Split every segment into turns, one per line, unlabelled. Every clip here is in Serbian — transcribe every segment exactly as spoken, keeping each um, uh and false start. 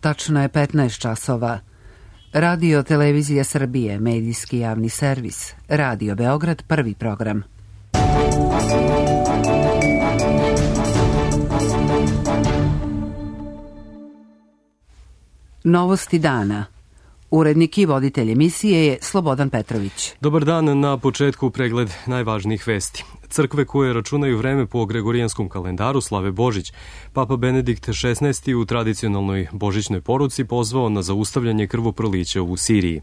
Tačno je petnaest časova. Radio Televizija Srbije, medijski javni servis. Radio Beograd, prvi program. Novosti dana. Urednik i voditelj emisije je Slobodan Petrović.
Dobar dan, na početku pregled najvažnijih vesti. Crkve koje računaju vreme po Gregorijanskom kalendaru slave Božić. Papa Benedikt šesnaesti u tradicionalnoj božićnoj poruci pozvao na zaustavljanje krvoprolića u Siriji.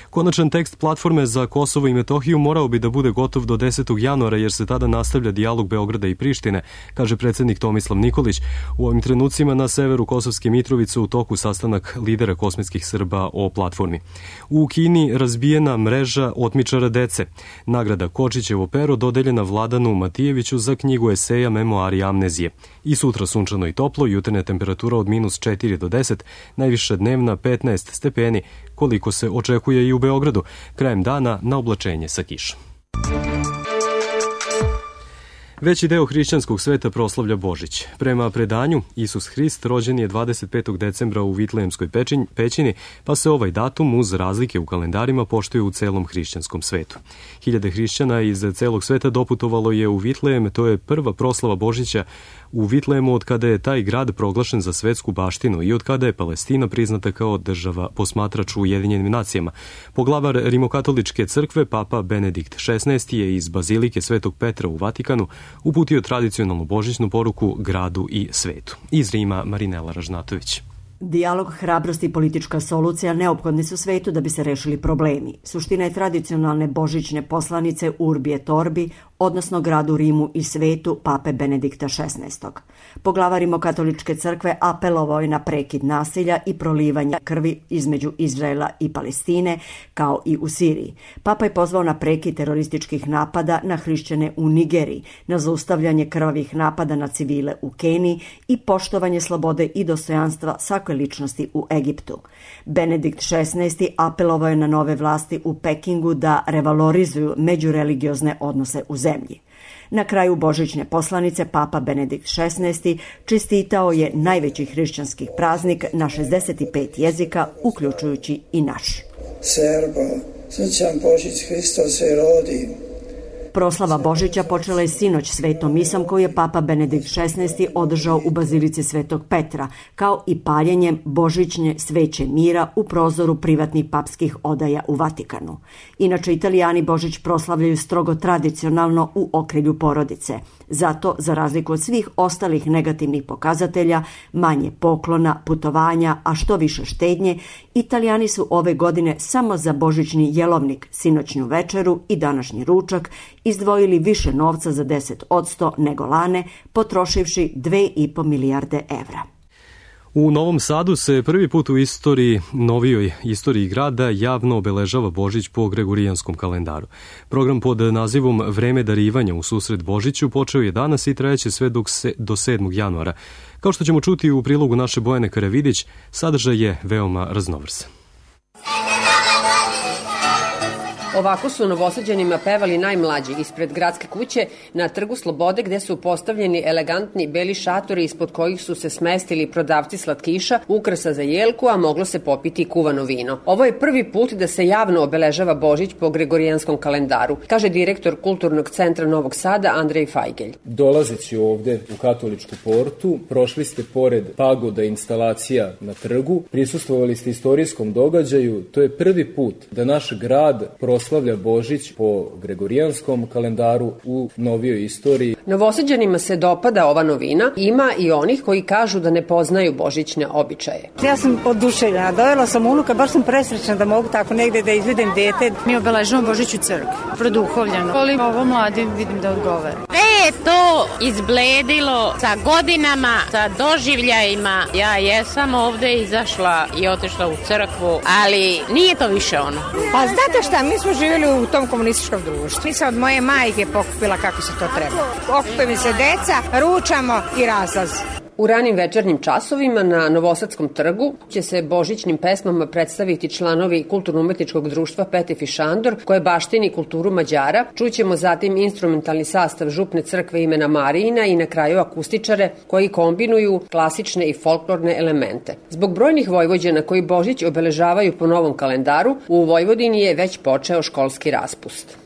Konačan tekst platforme za Kosovo i Metohiju morao bi da bude gotov do desetog januara jer se tada nastavlja dijalog Beograda i Prištine, kaže predsednik Tomislav Nikolić. U ovim trenucima na severu Kosovske Mitrovice u toku sastanak lidera kosmetskih Srba o platformi. U Kini razbijena mreža otmičara dece. Nagrada Kočićevo pero dodeljena Vladanu Matijeviću za knjigu eseja Memoari amnezije. I sutra sunčano i toplo, jutarnja temperatura od minus četiri do deset, najviša dnevna petnaest stepeni, koliko se očekuje i u Beogradu. Krajem dana na oblačenje sa kišom. Veći deo hrišćanskog sveta proslavlja Božić. Prema predanju, Isus Hrist rođen je dvadeset petog decembra u Vitlejemskoj pećini, pa se ovaj datum uz razlike u kalendarima poštuje u celom hrišćanskom svetu. Hiljade hrišćana iz celog sveta doputovalo je u Vitlejem, to je prva proslava Božića u Vitlejemu od kada je taj grad proglašen za svetsku baštinu i od kada je Palestina priznata kao država posmatrač u Ujedinjenim nacijama. Poglavar Rimokatoličke crkve, Papa Benedikt šesnaesti je iz Bazilike Svetog Petra u Vatikanu uputio tradicionalnu božićnu poruku gradu i svetu. Iz Rima Marinela Ražnatović.
Dijalog, hrabrost i politička solucija neophodni su svetu da bi se rešili problemi. Suština je tradicionalne božićne poslanice Urbi et Orbi, odnosno gradu Rimu i svetu Pape Benedikta šesnaestog. Poglavar Rimokatoličke crkve apelovao je na prekid nasilja i prolivanje krvi između Izraela i Palestine, kao i u Siriji. Papa je pozvao na prekid terorističkih napada na hrišćane u Nigeriji, na zaustavljanje krvavih napada na civile u Keniji i poštovanje slobode i dostojanstva svake ličnosti u Egiptu. Benedikt šesnaesti apelovao je na nove vlasti u Pekingu da revalorizuju međureligiozne odnose u zemlji. Na kraju božićne poslanice Papa Benedikt šesnaesti čestitao je najveći hrišćanski praznik na šezdeset pet jezika, uključujući i naš.
Serbo, srećan Božić, Hristos se rodi.
Proslava Božića počela je sinoć svetom misom koju je Papa Benedikt šesnaesti održao u Bazilici Svetog Petra, kao i paljenjem božićne sveće mira u prozoru privatnih papskih odaja u Vatikanu. Inače, Italijani Božić proslavljaju strogo tradicionalno u okrilju porodice. Zato, za razliku od svih ostalih negativnih pokazatelja, manje poklona, putovanja, a što više štednje, Italijani su ove godine samo za božićni jelovnik, sinoćnju večeru i današnji ručak izdvojili više novca za deset posto nego lane, potrošivši dve i po milijarde evra.
U Novom Sadu se prvi put u istoriji, novijoj istoriji grada javno obeležava Božić po Gregorijanskom kalendaru. Program pod nazivom Vreme darivanja u susret Božiću počeo je danas i trajeće sve dok se, do sedmog januara. Kao što ćemo čuti u prilogu naše Bojane Karavidić, sadržaj je veoma raznovrsan.
Ovako su Novosađanima pevali najmlađi ispred gradske kuće na Trgu Slobode, gde su postavljeni elegantni beli šatori ispod kojih su se smestili prodavci slatkiša, ukrasa za jelku, a moglo se popiti kuvano vino. Ovo je prvi put da se javno obeležava Božić po Gregorijanskom kalendaru, kaže direktor Kulturnog centra Novog Sada Andrej Fajgelj.
Dolazeći ovde u Katoličku portu, prošli ste pored pagoda instalacija na trgu, prisustvovali ste istorijskom događaju. To je prvi put da naš grad proslavlja Božić po Gregorijanskom kalendaru u novijoj istoriji.
Novosađanima se dopada ova novina. Ima i onih koji kažu da ne poznaju božićne običaje.
Ja sam oduševljena. Dovela sam unuka, baš sam presrećna da mogu tako negde da izvedem dete.
Mi obeležavamo Božić u crkvi, produhovljeno. Ali ovo mladi vidim da odgovara.
Sve je to izbledilo sa godinama, sa doživljajima. Ja jesam ovde izašla i otišla u crkvu, ali nije to više ono.
Pa znate šta, mi smo živjeli u tom komunističkom društvu. Mi sam od moje majke pokupila kako se to treba. Okupe mi se deca, ručamo i razlaz.
U ranim večernjim časovima na Novosadskom trgu će se božićnim pesmama predstaviti članovi Kulturno-umetničkog društva Petif i Šandor, koje baštini kulturu Mađara. Čućemo zatim instrumentalni sastav župne crkve imena Marijina i na kraju akustičare koji kombinuju klasične i folklorne elemente. Zbog brojnih Vojvođana koji Božić obeležavaju po novom kalendaru, u Vojvodini je već počeo školski raspust.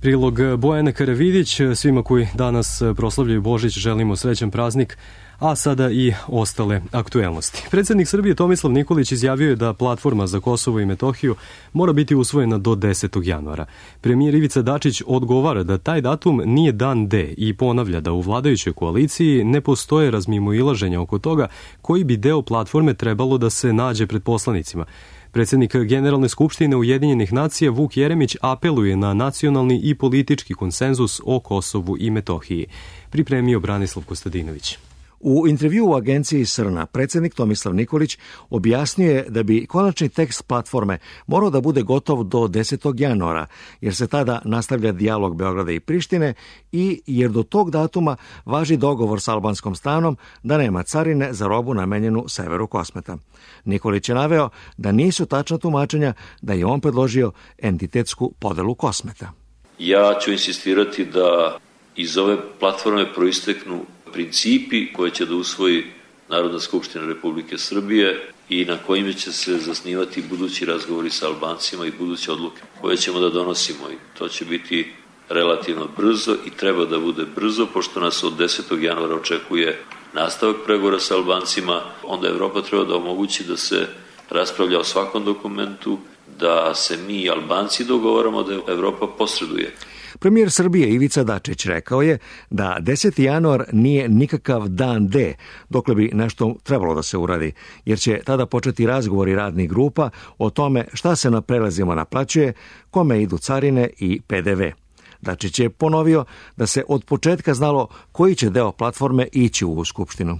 Prilog Bojana Karavidić. Svima koji danas proslavljaju Božić želimo srećan praznik, a sada i ostale aktuelnosti. Predsednik Srbije Tomislav Nikolić izjavio je da platforma za Kosovo i Metohiju mora biti usvojena do desetog januara. Premijer Ivica Dačić odgovara da taj datum nije dan D i ponavlja da u vladajućoj koaliciji ne postoje razmimoilaženja oko toga koji bi deo platforme trebalo da se nađe pred poslanicima. Predsednik Generalne skupštine Ujedinjenih nacija Vuk Jeremić apeluje na nacionalni i politički konsenzus o Kosovu i Metohiji. Pripremio Branislav Kostadinović.
U intervju u agenciji Srna predsednik Tomislav Nikolić objasnio je da bi konačni tekst platforme morao da bude gotov do desetog januara, jer se tada nastavlja dijalog Beograda i Prištine i jer do tog datuma važi dogovor s albanskom stranom da nema carine za robu namenjenu severu Kosmeta. Nikolić je naveo da nisu tačna tumačenja da je on predložio entitetsku podelu Kosmeta.
Ja ću insistirati da iz ove platforme proisteknu principi koje će da usvoji Narodna skupština Republike Srbije i na kojima će se zasnivati budući razgovori sa Albancima i buduće odluke koje ćemo da donosimo. I to će biti relativno brzo i treba da bude brzo, pošto nas od desetog januara očekuje nastavak pregovora sa Albancima. Onda Evropa treba da omogući da se raspravlja o svakom dokumentu, da se mi i Albanci dogovaramo, da Evropa posreduje.
Premijer Srbije Ivica Dačić rekao je da deseti januar nije nikakav dan D, dokle bi nešto trebalo da se uradi, jer će tada početi razgovori radnih grupa o tome šta se na prelazima naplaćuje, kome idu carine i P D V. Dačić je ponovio da se od početka znalo koji će deo platforme ići u Skupštinu.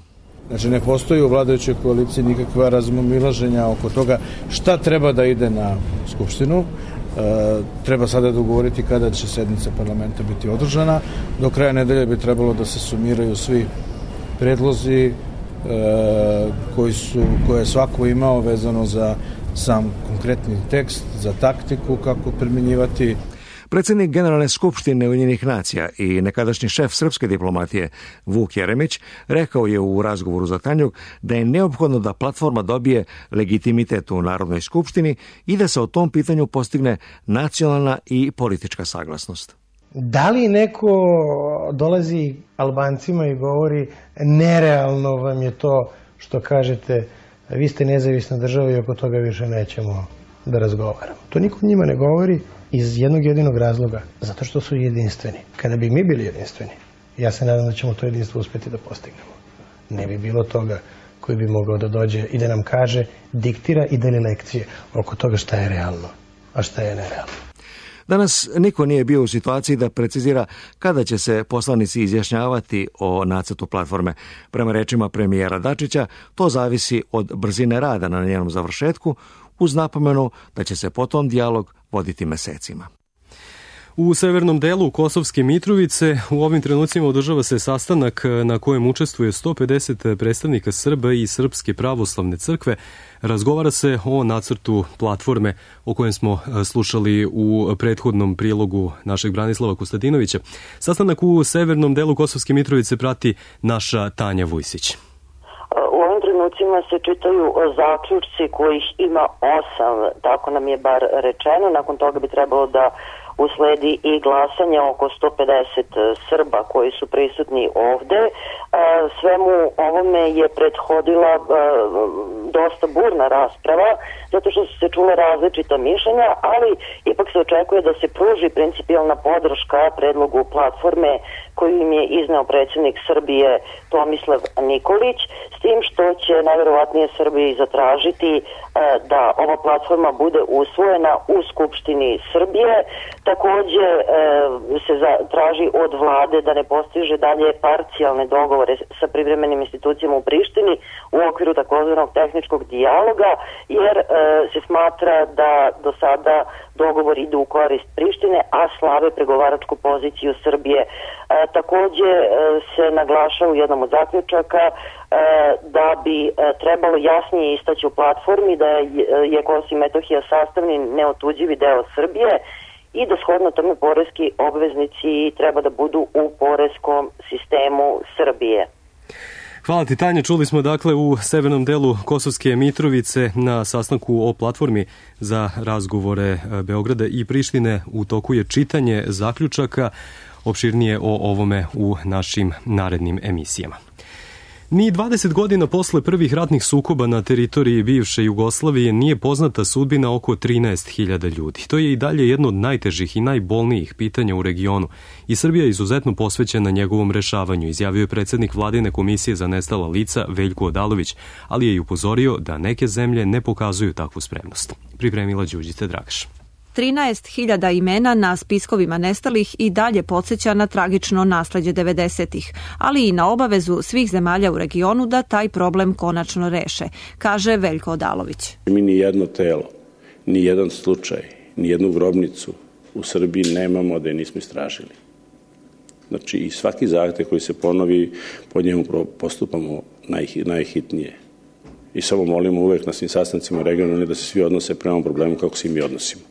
Znači, ne postoji u vladajućoj koaliciji nikakva razmimoilaženja oko toga šta treba da ide na Skupštinu. E, treba sada dogovoriti kada će sednica parlamenta biti održana. Do kraja nedelje bi trebalo da se sumiraju svi predlozi e, koji su, koje je svako imao vezano za sam konkretni tekst, za taktiku kako primjenjivati.
Predsednik Generalne skupštine Ujedinjenih nacija i nekadašnji šef srpske diplomatije Vuk Jeremić rekao je u razgovoru za Tanjug da je neophodno da platforma dobije legitimitet u Narodnoj skupštini i da se o tom pitanju postigne nacionalna i politička saglasnost.
Da li neko dolazi Albancima i govori nerealno vam je to što kažete vi ste nezavisna država i oko toga više nećemo da razgovaramo. To niko njima ne govori iz jednog jedinog razloga, zato što su jedinstveni. Kada bi mi bili jedinstveni, ja se nadam da ćemo to jedinstvo uspeti da postignemo. Ne bi bilo toga koji bi mogao da dođe i da nam kaže, diktira i deli lekcije oko toga šta je realno, a šta je nerealno.
Danas niko nije bio u situaciji da precizira kada će se poslanici izjašnjavati o nacrtu platforme. Prema rečima premijera Dačića, to zavisi od brzine rada na njenom završetku, uz napomenu da će se potom dijalog voditi mesecima.
U severnom delu Kosovske Mitrovice u ovim trenucima održava se sastanak na kojem učestvuje sto pedeset predstavnika Srba i Srpske pravoslavne crkve. Razgovara se o nacrtu platforme o kojem smo slušali u prethodnom prilogu našeg Branislava Kostadinovića. Sastanak u severnom delu Kosovske Mitrovice prati naša Tanja Vujsić.
U ovim trenucima se čitaju zaključci kojih ima osam, tako nam je bar rečeno. Nakon toga bi trebalo da usledi i glasanje oko sto pedeset Srba koji su prisutni ovde. Svemu ovome je prethodila dosta burna rasprava, zato što su se čule različita mišljenja, ali ipak se očekuje da se pruži principijalna podrška predlogu platforme koju im je izneo predsjednik Srbije Tomislav Nikolić, s tim što će najverovatnije Srbiji zatražiti da ova platforma bude usvojena u Skupštini Srbije. Takođe se traži od vlade da ne postiže dalje parcijalne dogovore sa privremenim institucijama u Prištini u okviru takozvanog tehničkog dijaloga, jer se smatra da do sada dogovor ide u korist Prištine, a slave pregovaračku poziciju Srbije. Takođe se naglaša u jednom od zaključaka da bi trebalo jasnije istaći u platformi da je Kosovo i Metohija sastavni neotuđivi deo Srbije i da shodno tome poreski obveznici treba da budu u poreskom sistemu Srbije.
Hvala ti, Tanja. Čuli smo dakle u severnom delu Kosovske Mitrovice na sastanku o platformi za razgovore Beograda i Prištine u toku je čitanje zaključaka. Opširnije o ovome u našim narednim emisijama. Ni dvadeset godina posle prvih ratnih sukoba na teritoriji bivše Jugoslavije nije poznata sudbina oko trinaest hiljada ljudi. To je i dalje jedno od najtežih i najbolnijih pitanja u regionu i Srbija je izuzetno posvećena njegovom rešavanju, izjavio je predsednik Vladine komisije za nestala lica Veljko Odalović, ali je i upozorio da neke zemlje ne pokazuju takvu spremnost. Pripremila Đurđica Dragaš.
trinaest hiljada imena na spiskovima nestalih i dalje podsjeća na tragično nasleđe devedesetih, ali i na obavezu svih zemalja u regionu da taj problem konačno reše, kaže Veljko Odalović.
Mi ni jedno telo, ni jedan slučaj, ni jednu grobnicu u Srbiji nemamo da je nismo istražili. Znači i svaki zahtev koji se ponovi, po njemu postupamo naj, najhitnije. I samo molimo uvek na svim sastancima regionalne da se svi odnose prema problemu kako se i mi odnosimo.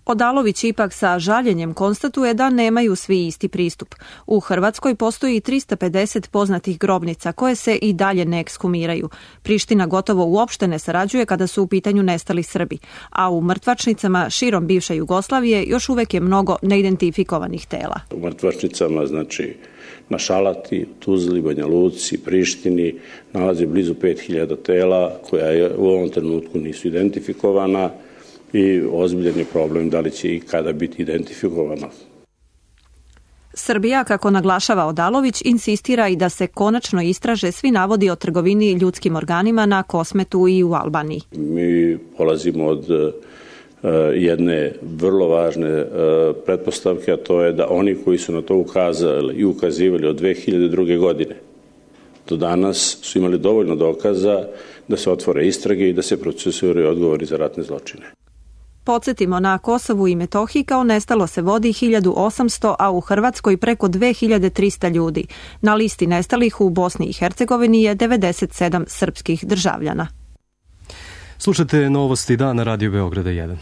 Odalović ipak sa žaljenjem konstatuje da nemaju svi isti pristup. U Hrvatskoj postoji trista pedeset poznatih grobnica koje se i dalje ne ekshumiraju. Priština gotovo uopšte ne sarađuje kada su u pitanju nestali Srbi, a u mrtvačnicama širom bivše Jugoslavije još uvek je mnogo neidentifikovanih tela.
U mrtvačnicama, znači na Šalati, Tuzli, Banja Luci, Prištini nalazi blizu pet hiljada tela koja je u ovom trenutku nisu identifikovana i ozbiljan je problem da li će i kada biti identifikovana.
Srbija, kako naglašava Odalović, insistira i da se konačno istraže svi navodi o trgovini ljudskim organima na Kosmetu i u Albaniji.
Mi polazimo od uh, jedne vrlo važne uh, pretpostavke, a to je da oni koji su na to ukazali i ukazivali od dve hiljade druge. godine do danas su imali dovoljno dokaza da se otvore istrage i da se procesuiraju odgovori za ratne zločine.
Podsjetimo, na Kosovu i Metohiji kao nestalo se vodi hiljadu osamsto, a u Hrvatskoj preko dve hiljade trista ljudi. Na listi nestalih u Bosni i Hercegovini je devedeset sedam srpskih državljana.
Slušate Novosti dana Radio Beograda jedan.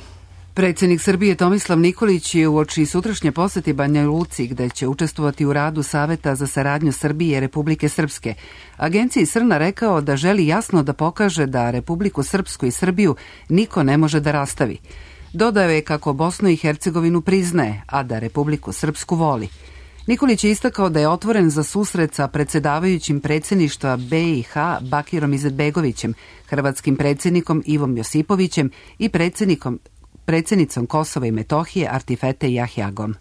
Predsjednik Srbije Tomislav Nikolić je uoči sutrašnje poseti Banja Luci, gde će učestvovati u radu Saveta za saradnju Srbije i Republike Srpske, agenciji Srna rekao da želi jasno da pokaže da Republiku Srpsku i Srbiju niko ne može da rastavi. Dodao je kako Bosnu i Hercegovinu priznaje, a da Republiku Srpsku voli. Nikolić je istakao da je otvoren za susret sa predsjedavajućim predsjedništva B i H Bakirom Izetbegovićem, hrvatskim predsjednikom Ivom Josipovićem i predsjednikom predsjednicom Kosova i Metohije Artifete Jahjagom.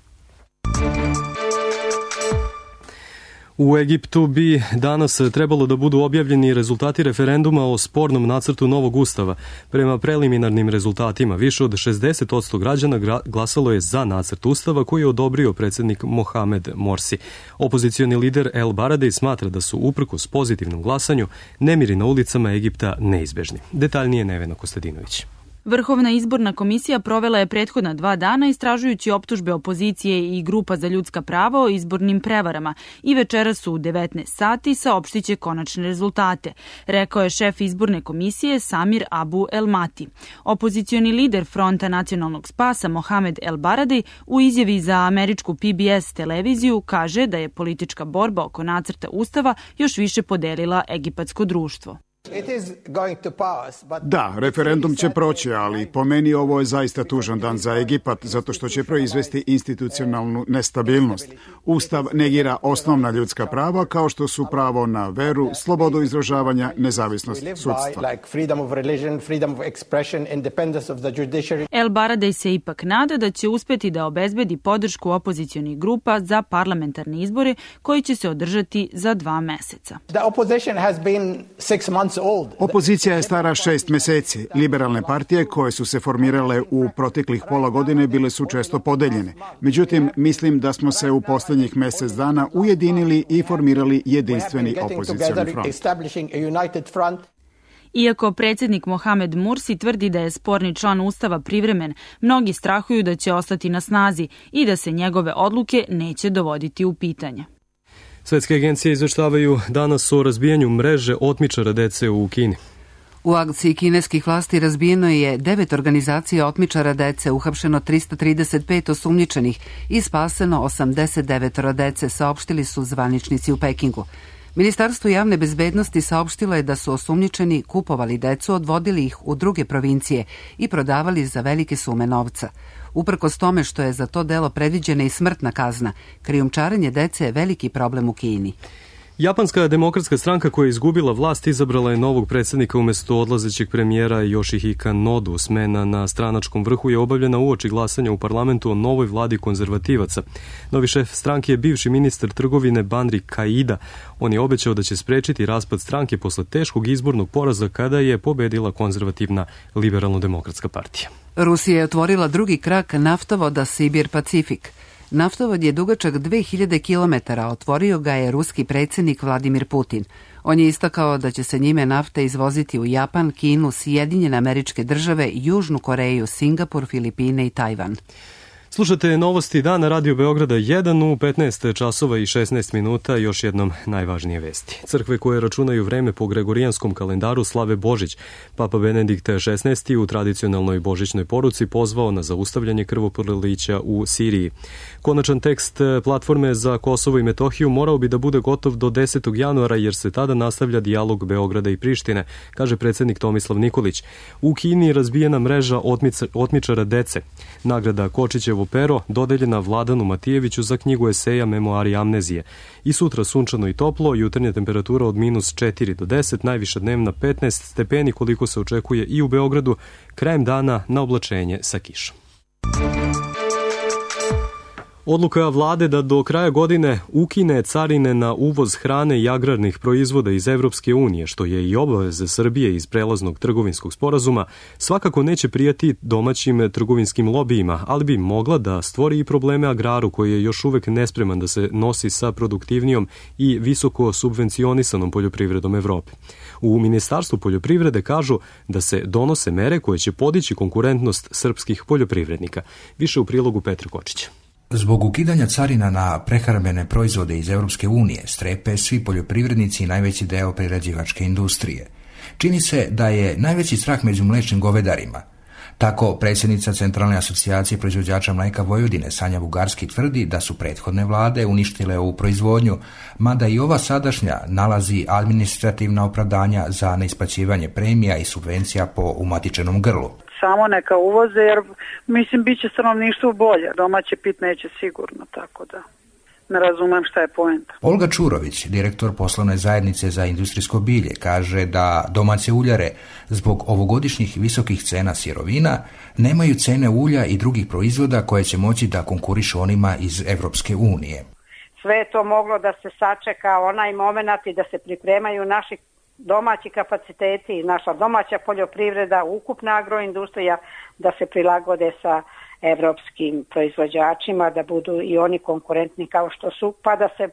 U Egiptu bi danas trebalo da budu objavljeni rezultati referenduma o spornom nacrtu novog ustava. Prema preliminarnim rezultatima, više od šezdeset posto građana glasalo je za nacrt ustava koji je odobrio predsjednik Mohamed Morsi. Opozicioni lider El Baradej smatra da su uprkos pozitivnom glasanju nemiri na ulicama Egipta neizbežni. Detaljnije Nevena Kostadinović.
Vrhovna izborna komisija provela je prethodna dva dana istražujući optužbe opozicije i grupa za ljudska prava o izbornim prevarama i večeras su u devetnaest sati saopštiće konačne rezultate, rekao je šef izborne komisije Samir Abu El Mati. Opozicioni lider Fronta nacionalnog spasa Mohamed El Baradej u izjavi za američku P B S televiziju kaže da je politička borba oko nacrta ustava još više podelila egipatsko društvo.
Da, referendum će proći, ali po meni ovo je zaista tužan dan za Egipat, zato što će proizvesti institucionalnu nestabilnost. Ustav negira osnovna ljudska prava, kao što su pravo na veru, slobodu izražavanja, nezavisnost sudstva.
El Baradej se ipak nada da će uspeti da obezbedi podršku opozicionih grupa za parlamentarne izbore koji će se održati za dva meseca.
The opposition has been six months
Opozicija je stara šest meseci. Liberalne partije koje su se formirale u proteklih pola godine bile su često podeljene. Međutim, mislim da smo se u poslednjih mesec dana ujedinili i formirali jedinstveni opozicioni front.
Iako predsjednik Mohamed Mursi tvrdi da je sporni član Ustava privremen, mnogi strahuju da će ostati na snazi i da se njegove odluke neće dovoditi u pitanje.
Svetske agencije izveštavaju danas o razbijanju mreže otmičara dece u Kini.
U akciji kineskih vlasti razbijeno je devet organizacija otmičara dece, uhapšeno trista trideset pet osumnjičenih i spaseno osamdeset devet dece, saopštili su zvaničnici u Pekingu. Ministarstvo javne bezbednosti saopštilo je da su osumnjičeni kupovali decu, odvodili ih u druge provincije i prodavali za velike sume novca. Uprkos tome što je za to delo predviđena i smrtna kazna, krijumčarenje dece je veliki problem u Kini.
Japanska demokratska stranka koja je izgubila vlast izabrala je novog predsjednika umjesto odlazećeg premijera Yoshihika Nodu. Smena na stranačkom vrhu je obavljena uoči glasanja u parlamentu o novoj vladi konzervativaca. Novi šef stranke je bivši ministar trgovine Banri Kaida. On je obećao da će sprečiti raspad stranke posle teškog izbornog poraza kada je pobedila konzervativna liberalno-demokratska partija.
Rusija je otvorila drugi krak naftovoda Sibir-Pacifik. Naftovod je dugačak dve hiljade kilometara, otvorio ga je ruski predsjednik Vladimir Putin. On je istakao da će se njime nafta izvoziti u Japan, Kinu, Sjedinjene Američke Države, Južnu Koreju, Singapur, Filipine i Tajvan.
Slušate novosti dana Radio Beograda jedan u petnaest časova i šesnaest minuta, još jednom najvažnije vesti. Crkve koje računaju vreme po gregorijanskom kalendaru slave Božić. Papa Benedikt šesnaesti u tradicionalnoj božićnoj poruci pozvao na zaustavljanje krvoprolića u Siriji. Konačan tekst platforme za Kosovo i Metohiju morao bi da bude gotov do desetog januara jer se tada nastavlja dijalog Beograda i Prištine, kaže predsjednik Tomislav Nikolić. U Kini je razbijena mreža otmica, otmičara dece. Nagrada Kočićevo pero dodeljena Vladanu Matijeviću za knjigu eseja Memoari amnezije. I sutra sunčano i toplo, jutarnja temperatura od minus četiri do deset, najviša dnevna petnaest stepeni koliko se očekuje i u Beogradu, krajem dana na oblačenje sa kišom. Odluka vlade da do kraja godine ukine carine na uvoz hrane i agrarnih proizvoda iz Evropske unije, što je i obaveza Srbije iz prelaznog trgovinskog sporazuma, svakako neće prijati domaćim trgovinskim lobijima, ali bi mogla da stvori i probleme agraru koji je još uvek nespreman da se nosi sa produktivnijom i visoko subvencionisanom poljoprivredom Evrope. U Ministarstvu poljoprivrede kažu da se donose mere koje će podići konkurentnost srpskih poljoprivrednika. Više u prilogu Petra Kočića.
Zbog ukidanja carina na prehrambene proizvode iz Europske unije strepe svi poljoprivrednici i najveći deo prerađivačke industrije. Čini se da je najveći strah među mlečnim govedarima. Tako predsjednica Centralne asocijacije proizvođača mlijeka Vojvodine Sanja Bugarski tvrdi da su prethodne vlade uništile ovu proizvodnju, mada i ova sadašnja nalazi administrativna opravdanja za neisplaćivanje premija i subvencija po umatičenom grlu.
Samo neka uvoze, jer mislim bit će stanovništvo bolje. Domaće pit neće sigurno, tako da ne razumem šta je poenta.
Olga Čurović, direktor poslovne zajednice za industrijsko bilje, kaže da domaće uljare zbog ovogodišnjih visokih cena sirovina nemaju cene ulja i drugih proizvoda koje će moći da konkurišu onima iz Evropske unije.
Sve je to moglo da se sačeka onaj moment i da se pripremaju naši domaći kapaciteti i naša domaća poljoprivreda, ukupna agroindustrija, da se prilagode sa evropskim proizvođačima, da budu i oni konkurentni kao što su, pa da se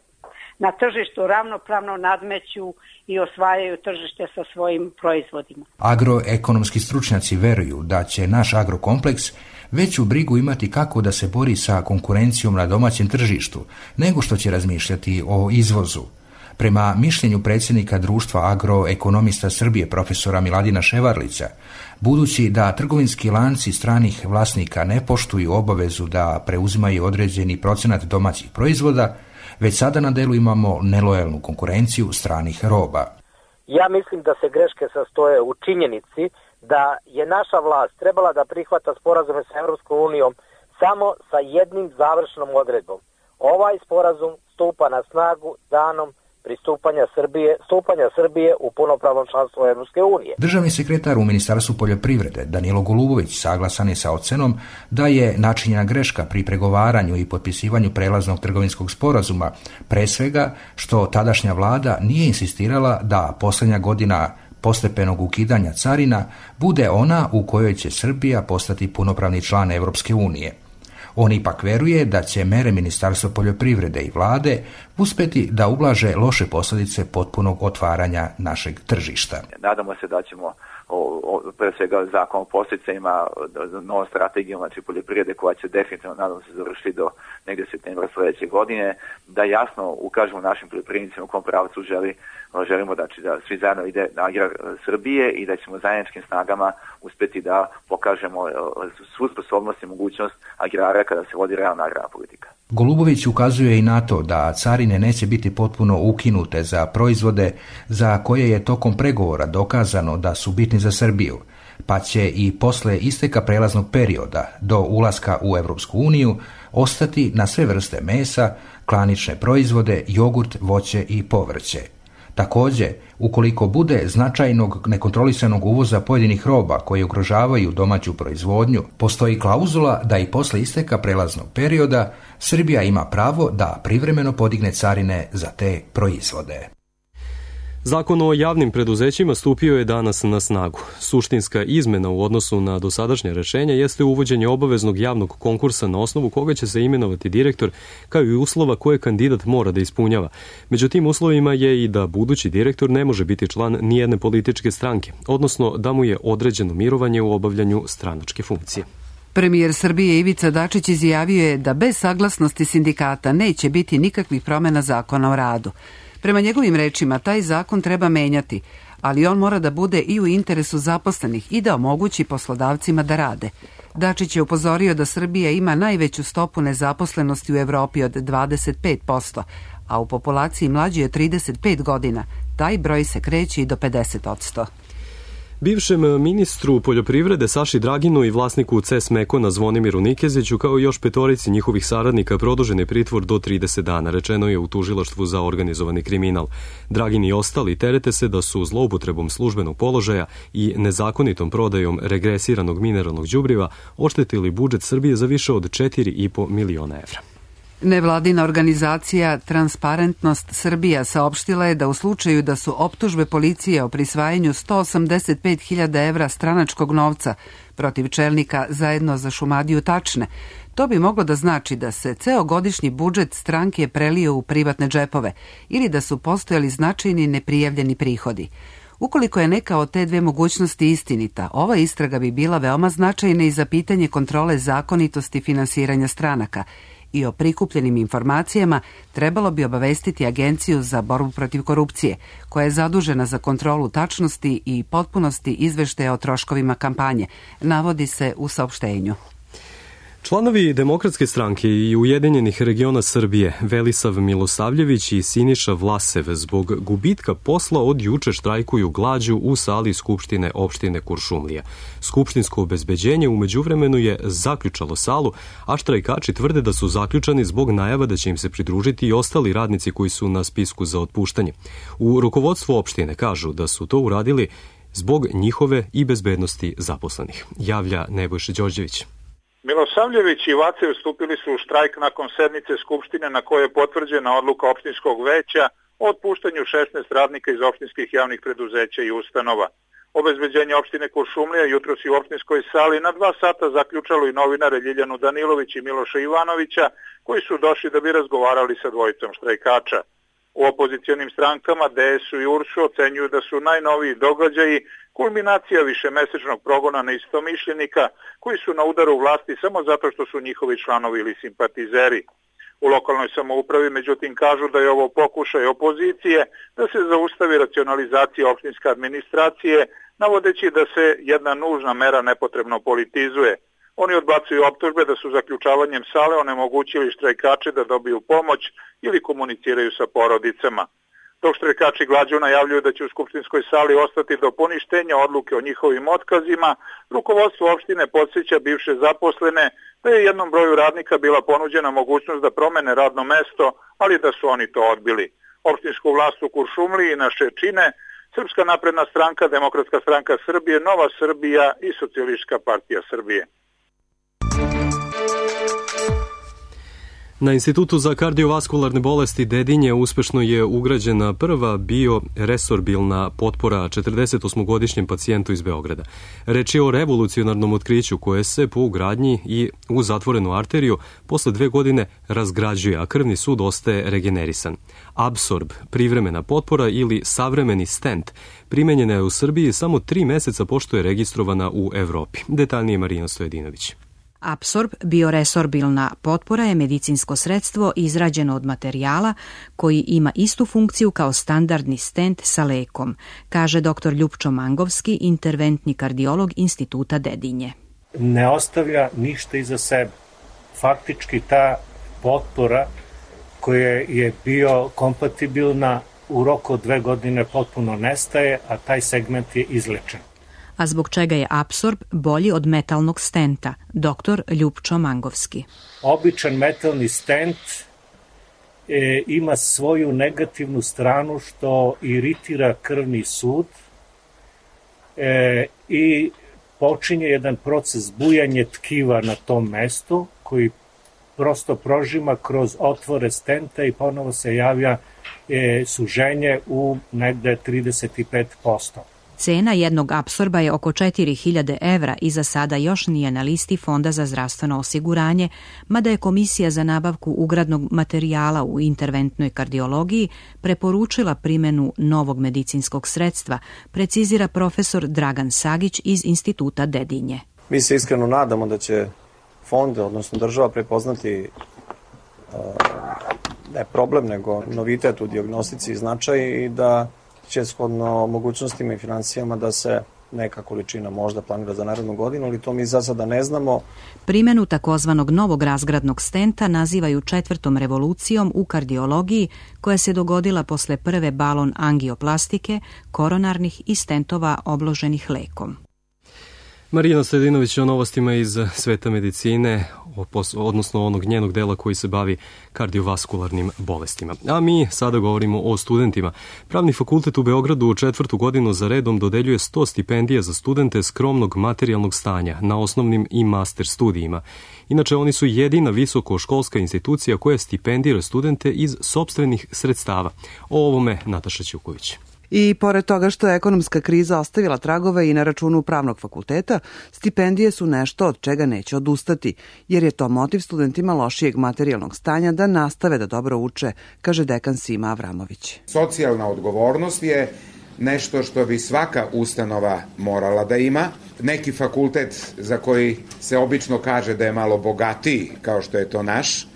na tržištu ravnopravno nadmeću i osvajaju tržište sa svojim proizvodima.
Agroekonomski stručnjaci veruju da će naš agrokompleks veću brigu imati kako da se bori sa konkurencijom na domaćem tržištu, nego što će razmišljati o izvozu. Prema mišljenju predsjednika Društva agroekonomista Srbije profesora Miladina Ševarlića, budući da trgovinski lanci stranih vlasnika ne poštuju obavezu da preuzimaju određeni procenat domaćih proizvoda, već sada na delu imamo nelojalnu konkurenciju stranih roba.
Ja mislim da se greške sastoje u činjenici da je naša vlast trebala da prihvata sporazume sa Evropskom unijom samo sa jednim završnom odredbom. Ovaj sporazum stupa na snagu danom pristupanja Srbije, stupanja Srbije u punopravno članstvo Evropske unije.
Državni sekretar u Ministarstvu poljoprivrede Danilo Golubović saglasan je sa ocenom da je načinjena greška pri pregovaranju i potpisivanju prelaznog trgovinskog sporazuma, pre svega što tadašnja vlada nije insistirala da posljednja godina postepenog ukidanja carina bude ona u kojoj će Srbija postati punopravni član Evropske unije. On ipak veruje da će mere Ministarstva poljoprivrede i vlade uspeti da ublaže loše posljedice potpunog otvaranja našeg tržišta.
Nadamo se da ćemo o, o, pre svega zakon o podsticajima, novom strategijom znači poljoprivrede koja će definitivno nadam se završiti do negdje septembra sljedeće godine, da jasno ukažemo našim poljoprivrednicima u kom pravcu želi, želimo da, da svi zajedno ide na agrar Srbije i da ćemo zajedničkim snagama uspjeti da pokažemo svu sposobnost i mogućnost agrara kada se vodi realna agrarna politika.
Golubović ukazuje i na to da carine neće biti potpuno ukinute za proizvode za koje je tokom pregovora dokazano da su bitni za Srbiju, pa će i posle isteka prelaznog perioda do ulaska u Evropsku uniju ostati na sve vrste mesa, klanične proizvode, jogurt, voće i povrće. Također, ukoliko bude značajnog nekontrolisanog uvoza pojedinih roba koje ugrožavaju domaću proizvodnju, postoji klauzula da i posle isteka prelaznog perioda Srbija ima pravo da privremeno podigne carine za te proizvode.
Zakon o javnim preduzećima stupio je danas na snagu. Suštinska izmena u odnosu na dosadašnje rešenje jeste uvođenje obaveznog javnog konkursa na osnovu koga će se imenovati direktor, kao i uslova koje kandidat mora da ispunjava. Među tim uslovima je i da budući direktor ne može biti član nijedne političke stranke, odnosno da mu je određeno mirovanje u obavljanju stranačke funkcije.
Premijer Srbije Ivica Dačić izjavio je da bez saglasnosti sindikata neće biti nikakvih promjena zakona o radu. Prema njegovim rečima, taj zakon treba menjati, ali on mora da bude i u interesu zaposlenih i da omogući poslodavcima da rade. Dačić je upozorio da Srbija ima najveću stopu nezaposlenosti u Evropi od dvadeset pet posto, a u populaciji mlađi od trideset pet godina taj broj se kreće i do pedeset posto.
Bivšem ministru poljoprivrede Saši Draginu i vlasniku C E S Mekona Zvonimiru Nikeziću kao i još petorici njihovih saradnika produžen je pritvor do trideset dana, rečeno je u tužilaštvu za organizovani kriminal. Dragin i ostali terete se da su zloupotrebom službenog položaja i nezakonitom prodajom regresiranog mineralnog đubriva oštetili budžet Srbije za više od četiri i po miliona evra.
Nevladina organizacija Transparentnost Srbija saopštila je da u slučaju da su optužbe policije o prisvajanju sto osamdeset pet hiljada evra stranačkog novca protiv čelnika Zajedno za Šumadiju tačne, to bi moglo da znači da se ceo godišnji budžet stranke prelio u privatne džepove ili da su postojali značajni neprijavljeni prihodi. Ukoliko je neka od te dve mogućnosti istinita, ova istraga bi bila veoma značajna i za pitanje kontrole zakonitosti finansiranja stranaka i o prikupljenim informacijama trebalo bi obavestiti Agenciju za borbu protiv korupcije, koja je zadužena za kontrolu tačnosti i potpunosti izveštaja o troškovima kampanje, navodi se u saopštenju.
Članovi Demokratske stranke i Ujedinjenih regiona Srbije Velisav Milosavljević i Siniša Vlasev zbog gubitka posla od juče štrajkuju glađu u sali Skupštine opštine Kuršumlija. Skupštinsko obezbeđenje u međuvremenu je zaključalo salu, a štrajkači tvrde da su zaključani zbog najava da će im se pridružiti i ostali radnici koji su na spisku za otpuštanje. U rukovodstvu opštine kažu da su to uradili zbog njihove i bezbednosti zaposlenih. Javlja Nebojša Đorđević.
Milosavljević i Vacev stupili su u štrajk nakon sednice Skupštine na kojoj je potvrđena odluka opštinskog veća o otpuštanju šesnaest radnika iz opštinskih javnih preduzeća i ustanova. Obezbeđenje opštine Kuršumlija jutros i u opštinskoj sali na dva sata zaključalo i novinare Ljiljanu Danilović i Miloša Ivanovića, koji su došli da bi razgovarali sa dvojicom štrajkača. U opozicijonim strankama D S U i U R S U ocenjuju da su najnoviji događaji kulminacija višemesečnog progona neistomišljenika koji su na udaru vlasti samo zato što su njihovi članovi ili simpatizeri. U lokalnoj samoupravi međutim kažu da je ovo pokušaj opozicije da se zaustavi racionalizacija opštinske administracije, navodeći da se jedna nužna mera nepotrebno politizuje. Oni odbacuju optužbe da su zaključavanjem sale onemogućili štrajkače da dobiju pomoć ili komuniciraju sa porodicama. Dok štrajkači glađu najavljuju da će u skupštinskoj sali ostati do poništenja odluke o njihovim otkazima, rukovodstvo opštine podsjeća bivše zaposlene da je jednom broju radnika bila ponuđena mogućnost da promene radno mesto, ali da su oni to odbili. Opštinsku vlast u Kuršumliji naše čine Srpska napredna stranka, Demokratska stranka Srbije, Nova Srbija i Socijalistička partija Srbije.
Na Institutu za kardiovaskularne bolesti Dedinje uspešno je ugrađena prva bioresorbilna potpora četrdesetosmogodišnjem pacijentu iz Beograda. Reč je o revolucionarnom otkriću koje se po ugradnji i u zatvorenu arteriju posle dve godine razgrađuje, a krvni sud ostaje regenerisan. Absorb, privremena potpora ili savremeni stent, primenjena je u Srbiji samo tri meseca pošto je registrovana u Evropi. Detaljnije Marina Stojedinović.
Apsorb, bioresorbilna potpora, je medicinsko sredstvo izrađeno od materijala koji ima istu funkciju kao standardni stent sa lekom, kaže dr. Ljupčo Mangovski, interventni kardiolog Instituta Dedinje.
Ne ostavlja ništa iza sebe. Faktički ta potpora koja je bio kompatibilna u roku od dve godine potpuno nestaje, a taj segment je izlečen.
A zbog čega je Apsorb bolji od metalnog stenta, doktor Ljupčo Mangovski.
Običan metalni stent e, ima svoju negativnu stranu što iritira krvni sud e, i počinje jedan proces bujanja tkiva na tom mestu koji prosto prožima kroz otvore stenta i ponovo se javlja e, suženje u negde trideset pet posto.
Cena jednog apsorba je oko četiri hiljade evra i za sada još nije na listi Fonda za zdravstveno osiguranje, mada je Komisija za nabavku ugradnog materijala u interventnoj kardiologiji preporučila primenu novog medicinskog sredstva, precizira profesor Dragan Sagić iz Instituta Dedinje.
Mi se iskreno nadamo da će fond, odnosno država, prepoznati uh, ne problem, nego novitet u dijagnostici i značaj i da će shodno mogućnostima i financijama da se neka količina možda planira za narednu godinu, ali to mi za sada ne znamo.
Primjenu takozvanog novog razgradnog stenta nazivaju četvrtom revolucijom u kardiologiji koja se dogodila posle prve balon angioplastike, koronarnih i stentova obloženih lekom.
Marina Stojedinović o novostima iz sveta medicine, odnosno onog njenog dela koji se bavi kardiovaskularnim bolestima. A mi sada govorimo o studentima. Pravni fakultet u Beogradu u četvrtu godinu za redom dodeljuje sto stipendija za studente skromnog materijalnog stanja na osnovnim i master studijima. Inače, oni su jedina visokoškolska institucija koja stipendira studente iz sopstvenih sredstava. O ovome Nataša Ćuković.
I pored toga što je ekonomska kriza ostavila tragove i na računu pravnog fakulteta, stipendije su nešto od čega neće odustati, jer je to motiv studentima lošijeg materijalnog stanja da nastave da dobro uče, kaže dekan Sima Avramović.
Socijalna odgovornost je nešto što bi svaka ustanova morala da ima. Neki fakultet za koji se obično kaže da je malo bogatiji, kao što je to naš,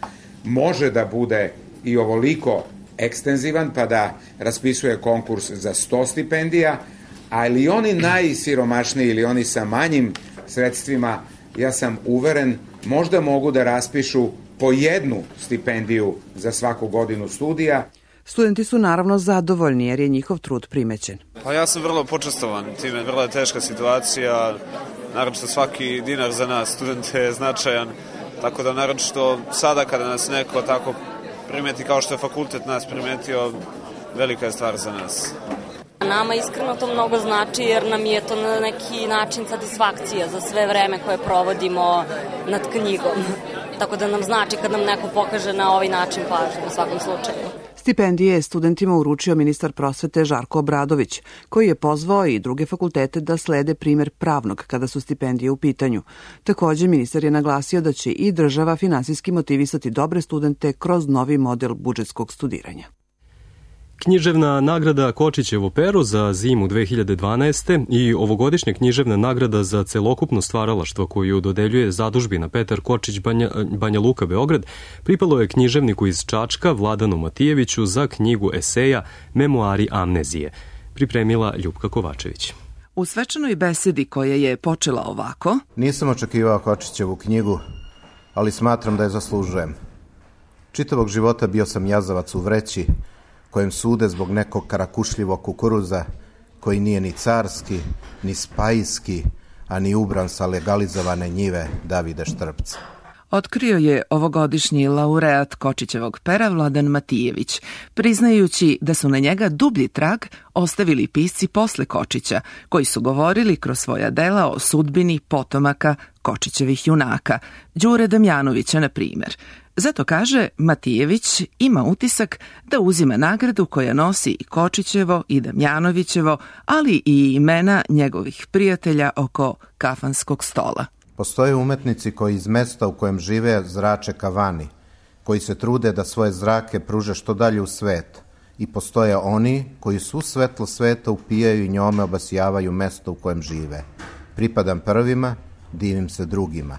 može da bude i ovoliko ekstenzivan pa da raspisuje konkurs za sto stipendija, ali oni najsiromašniji ili oni sa manjim sredstvima, ja sam uveren, možda mogu da raspišu po jednu stipendiju za svaku godinu studija.
Studenti su naravno zadovoljni jer je njihov trud primećen.
Pa ja sam vrlo počastovan time, vrlo je teška situacija, naročito svaki dinar za nas studente je značajan, tako da naročito sada kada nas neko tako primeti kao što je fakultet nas primetio, velika je stvar za nas.
Nama iskreno to mnogo znači jer nam je to na neki način satisfakcija za sve vreme koje provodimo nad knjigom. Tako da nam znači kad nam neko pokaže na ovaj način pažnju u svakom slučaju.
Stipendije je studentima uručio ministar prosvete Žarko Obradović, koji je pozvao i druge fakultete da slede primer pravnog kada su stipendije u pitanju. Takođe, ministar je naglasio da će i država finansijski motivisati dobre studente kroz novi model budžetskog studiranja.
Književna nagrada Kočićevo pero za zimu dve hiljade dvanaeste. i ovogodišnja književna nagrada za celokupno stvaralaštvo koju dodeljuje zadužbina Petar Kočić Banja, Banja Luka Beograd pripalo je književniku iz Čačka Vladanu Matijeviću za knjigu eseja Memoari amnezije. Pripremila Ljupka Kovačević.
U svečanoj besedi koja je počela ovako:
Nisam očekivao Kočićevu knjigu, ali smatram da je zaslužujem. Čitavog života bio sam jazavac u vreći, kojem sude zbog nekog karakušljivog kukuruza, koji nije ni carski, ni spajski, a ni ubran sa legalizovane njive Davide Štrpca.
Otkrio je ovogodišnji laureat Kočićevog pera Vladan Matijević, priznajući da su na njega dublji trag ostavili pisci posle Kočića, koji su govorili kroz svoja dela o sudbini potomaka Kočićevih junaka, Đure Damjanovića, na primjer. Zato kaže, Matijević ima utisak da uzima nagradu koja nosi i Kočićevo i Damjanovićevo, ali i imena njegovih prijatelja oko kafanskog stola.
Postoje umetnici koji iz mesta u kojem žive zrače kavani, koji se trude da svoje zrake pruže što dalje u svet. I postoje oni koji svu svetlo sveta upijaju i njome obasjavaju mesto u kojem žive. Pripadam prvima, divim se drugima.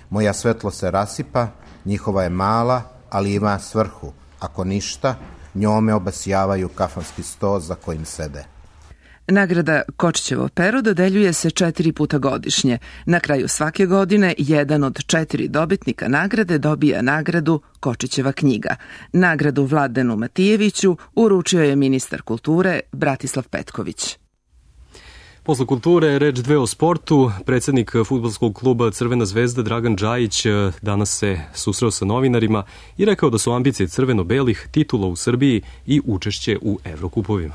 Moja svetlo se rasipa, njihova je mala, ali ima svrhu. Ako ništa, njome obasjavaju kafanski sto za kojim sede.
Nagrada Kočićevo pero dodeljuje se četiri puta godišnje. Na kraju svake godine jedan od četiri dobitnika nagrade dobija nagradu Kočićeva knjiga. Nagradu Vladenu Matijeviću uručio je ministar kulture Bratislav Petković.
Posle kulture reč dve o sportu. Predsednik fudbalskog kluba Crvena zvezda Dragan Džajić danas se susreo sa novinarima i rekao da su ambicije crveno-belih titula u Srbiji i učešće u Evrokupovima.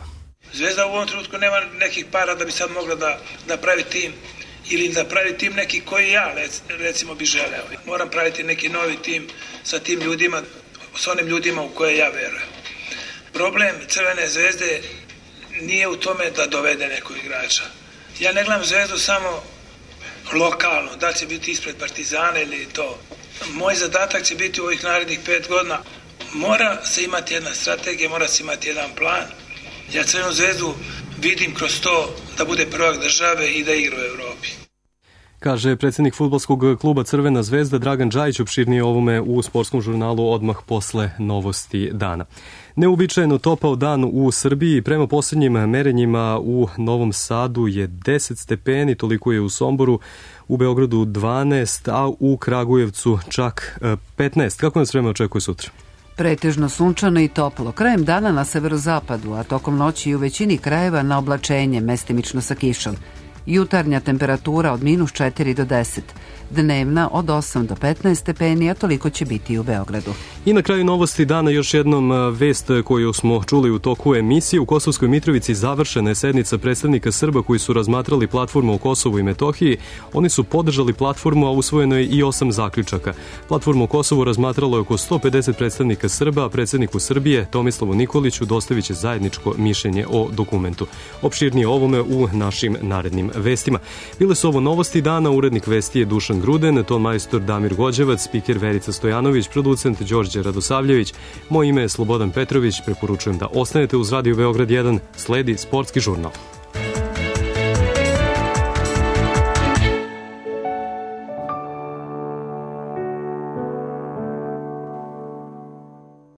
Zvezda u ovom trenutku nema nekih para da bi sad mogla da, da pravi tim ili da pravi tim neki koji ja recimo bi želeo. Moram praviti neki novi tim sa tim ljudima, sa onim ljudima u koje ja verujem. Problem Crvene zvezde nije u tome da dovede nekog igrača. Ja ne gledam Zvezdu samo lokalno, da će biti ispred Partizana ili to. Moj zadatak će biti u ovih narednih pet godina. Mora se imati jedna strategija, mora se imati jedan plan. Ja Crvenu zvezdu vidim kroz to da bude prvak države i da igra u Evropi.
Kaže predsednik fudbalskog kluba Crvena zvezda Dragan Džajić, opširnije ovome u sportskom žurnalu odmah posle novosti dana. Neuobičajeno topao dan u Srbiji, prema poslednjim merenjima u Novom Sadu je deset stepeni, toliko je u Somboru, u Beogradu dvanaest, a u Kragujevcu čak petnaest. Kako nas vreme očekuje sutra?
Pretežno sunčano i toplo. Krajem dana na severozapadu, a tokom noći i u većini krajeva na oblačenje, mestimično sa kišom. Jutarnja temperatura od minus četiri do deset. Dnevna od osam do petnaest stepeni, a toliko će biti i u Beogradu.
I na kraju novosti dana još jednom vest koju smo čuli u toku emisije. U Kosovskoj Mitrovici završena je sednica predstavnika Srba koji su razmatrali platformu o Kosovu i Metohiji. Oni su podržali platformu, a usvojeno je i osam zaključaka. Platformu o Kosovu razmatralo je oko sto pedeset predstavnika Srba, a predsedniku Srbije Tomislavu Nikoliću dostavit će zajedničko mišljenje o dokumentu. Opširnije ovome u našim narednim vestima. Bile su ovo novosti dana, urednik vesti je Dušan Gruden, ton majstor Damir Gođevac, spiker Verica Stojanović, producent Đorđe Radosavljević. Moje ime je Slobodan Petrović, preporučujem da ostanete uz Radio Beograd jedan, sledi sportski žurnal.